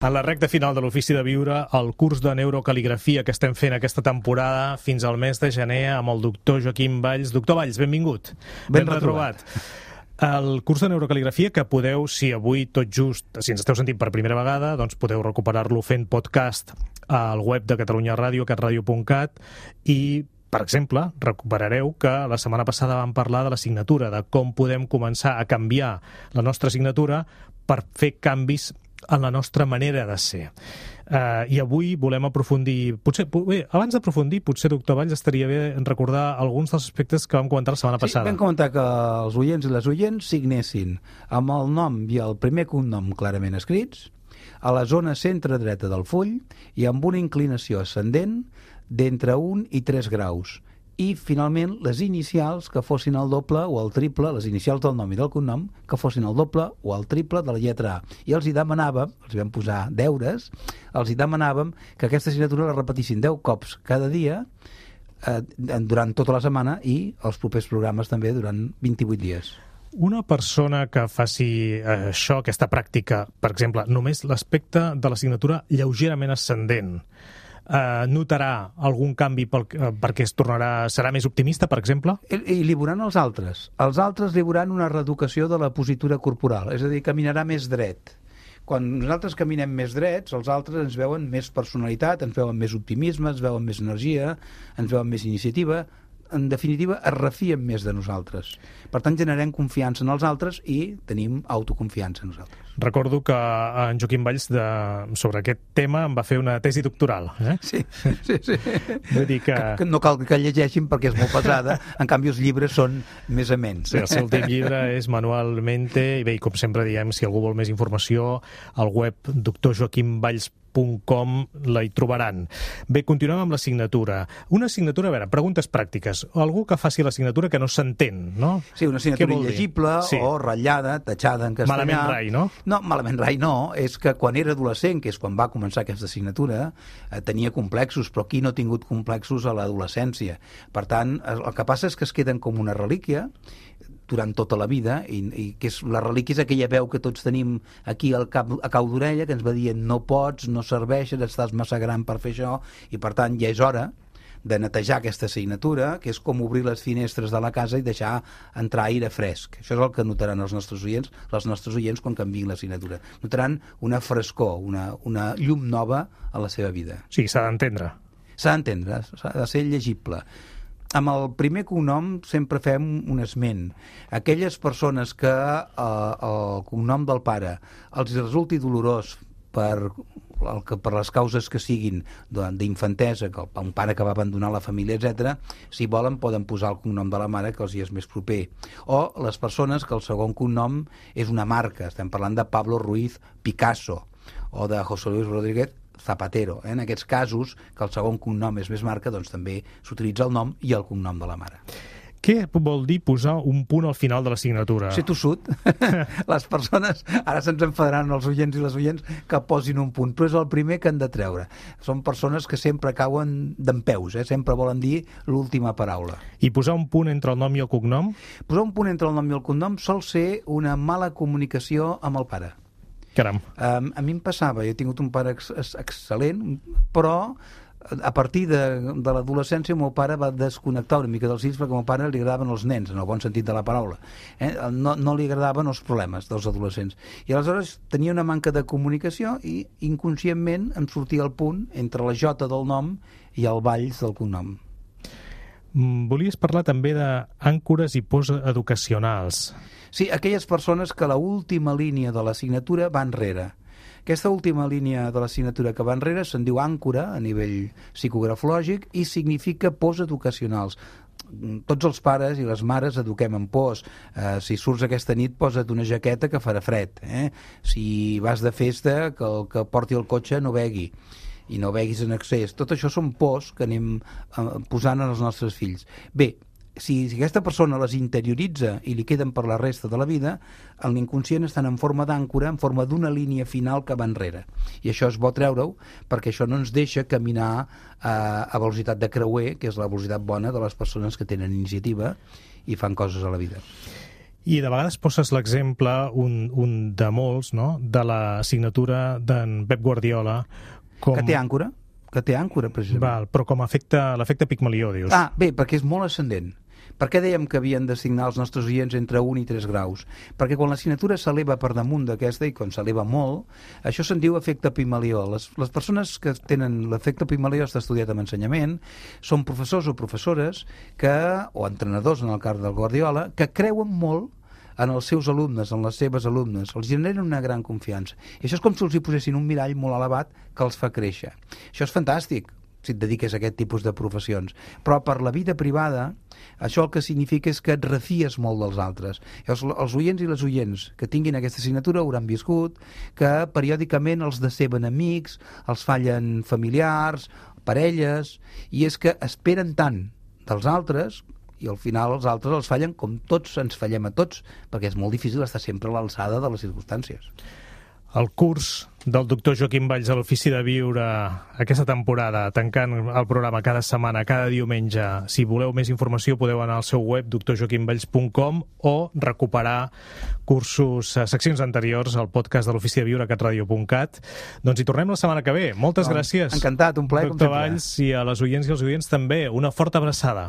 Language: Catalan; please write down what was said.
En la recta final de l'Ofici de Viure, el curs de neurocaligrafia que estem fent aquesta temporada fins al mes de gener amb el doctor Joaquim Valls. Doctor Valls, benvingut. Ben retrobat. El curs de neurocaligrafia que podeu, si avui tot just, si ens esteu sentint per primera vegada, doncs podeu recuperar-lo fent podcast al web de Catalunya Ràdio, catradio.cat, i per exemple, recuperareu que la setmana passada vam parlar de la signatura, de com podem començar a canviar la nostra signatura per fer canvis en la nostra manera de ser. I avui volem aprofundir... abans d'aprofundir, potser, doctor Valls, estaria bé recordar alguns dels aspectes que vam comentar la setmana passada. Sí, vam comentar que els oients i les oients signessin amb el nom i el primer cognom clarament escrits, a la zona centre-dreta del full i amb una inclinació ascendent d'entre 1 i 3 graus. I, finalment, les inicials que fossin el doble o el triple, les inicials del nom i del cognom, que fossin el doble o el triple de la lletra A. I els hi demanàvem, els vam posar deures, els hi demanàvem que aquesta signatura la repetissin 10 cops cada dia durant tota la setmana i els propers programes també durant 28 dies. Una persona que faci això, aquesta pràctica, per exemple, només l'aspecte de la signatura lleugerament ascendent, notarà algun canvi perquè serà més optimista, per exemple? I li veuran els altres. Els altres li veuran una reeducació de la positura corporal, és a dir, caminarà més dret. Quan nosaltres caminem més drets, els altres ens veuen més personalitat, ens veuen més optimisme, ens veuen més energia, ens veuen més iniciativa. En definitiva, es refien més de nosaltres. Per tant, generem confiança en els altres i tenim autoconfiança en nosaltres. Recordo que en Joaquim Valls sobre aquest tema em va fer una tesi doctoral. Sí. Vull dir que no cal que llegeixin perquè és molt pesada, en canvi els llibres són més amens. Sí, el seu últim llibre és Manualmente, i bé, com sempre diem, si algú vol més informació, al web drjoaquimvalls.com la hi trobaran. Bé, continuem amb la signatura. Una signatura, a veure, preguntes pràctiques. Algú que faci la signatura que no s'entén, no? Sí, una signatura il·legible o ratllada, tatxada en castellà. Malament rai, no? No, malament rai no. És que quan era adolescent, que és quan va començar aquesta signatura, tenia complexos, però qui no ha tingut complexos a l'adolescència? Per tant, el que passa és que es queden com una relíquia durant tota la vida, i que és la relíquia és aquella veu que tots tenim aquí al cap, a cau d'orella, que ens va dient no pots, no serveixes, estàs massa gran per fer això, i per tant ja és hora de netejar aquesta signatura, que és com obrir les finestres de la casa i deixar entrar aire fresc. Això és el que notaran els nostres oients quan canviïn la signatura. Notaran una frescor, una llum nova a la seva vida. Sí, s'ha d'entendre. S'ha d'entendre, s'ha de ser llegible. Amb el primer cognom sempre fem un esment. Aquelles persones que el cognom del pare els resulti dolorós per les causes que siguin d'infantesa, que un pare que va abandonar la família, etc., si volen poden posar el cognom de la mare, que els hi és més proper. O les persones que el segon cognom és una marca. Estem parlant de Pablo Ruiz Picasso o de José Luis Rodríguez Zapatero. En aquests casos, que el segon cognom és més marca, doncs també s'utilitza el nom i el cognom de la mare. Què vol dir posar un punt al final de la signatura? Ser tossut. Les persones, ara se'ns enfadaran els oients i les oients que posin un punt, però és el primer que han de treure. Són persones que sempre cauen dempeus, sempre volen dir l'última paraula. I posar un punt entre el nom i el cognom? Posar un punt entre el nom i el cognom sol ser una mala comunicació amb el pare. Caram. A mi em passava, jo he tingut un pare excel·lent, però a partir de l'adolescència el meu pare va desconnectar una mica dels fills perquè al meu pare li agradaven els nens, en el bon sentit de la paraula. No li agradaven els problemes dels adolescents. I aleshores tenia una manca de comunicació i inconscientment em sortia el punt entre la J del nom i el Valls del cognom. Volies parlar també d'àncores i posteducacionals. Sí, aquelles persones que l'última línia de la signatura va enrere. Aquesta última línia de la signatura que va enrere se'n diu àncora a nivell psicografològic i significa posteducacionals. Tots els pares i les mares eduquem en pors. Si surts aquesta nit, posa't una jaqueta que farà fred. Si vas de festa, que el que porti el cotxe no begui i no beguis en excés. Tot això són pors que anem posant en els nostres fills. Bé, si aquesta persona les interioritza i li queden per la resta de la vida, en l'inconscient estan en forma d'àncora, en forma d'una línia final que va enrere. I això és bo treure-ho perquè això no ens deixa caminar a velocitat de creuer, que és la velocitat bona de les persones que tenen iniciativa i fan coses a la vida. I de vegades poses l'exemple, un de molts, no?, de la signatura d'en Pep Guardiola com... Que té àncora, precisament. Val, però com l'efecte Pigmalió, dius. Ah, bé, perquè és molt ascendent. Per què dèiem que havien de signar els nostres oients entre 1 i 3 graus? Perquè quan la signatura s'eleva per damunt d'aquesta, i quan s'eleva molt, això se'n diu efecte Pigmalió. Les persones que tenen l'efecte Pigmalió, està estudiat en ensenyament, són professors o professores o entrenadors, en el cas del Guardiola, que creuen molt en els seus alumnes, en les seves alumnes, els generen una gran confiança. I això és com si els hi posessin un mirall molt elevat que els fa créixer. Això és fantàstic, si et dediques a aquest tipus de professions. Però per la vida privada, això el que significa és que et refies molt dels altres. Els oients i les oients que tinguin aquesta assignatura hauran viscut que periòdicament els deceben amics, els fallen familiars, parelles, i és que esperen tant dels altres i al final els altres els fallen com tots ens fallem a tots, perquè és molt difícil estar sempre a l'alçada de les circumstàncies. El curs del doctor Joaquim Valls a l'Ofici de Viure aquesta temporada, tancant el programa cada setmana, cada diumenge. Si voleu més informació podeu anar al seu web drjoaquimvalls.com o recuperar cursos, seccions anteriors al podcast de l'Ofici de Viure a catradio.cat. Doncs hi tornem la setmana que ve. Moltes gràcies. Encantat, un plaer com sempre. Doctor Valls, i a les oients i els oients també. Una forta abraçada.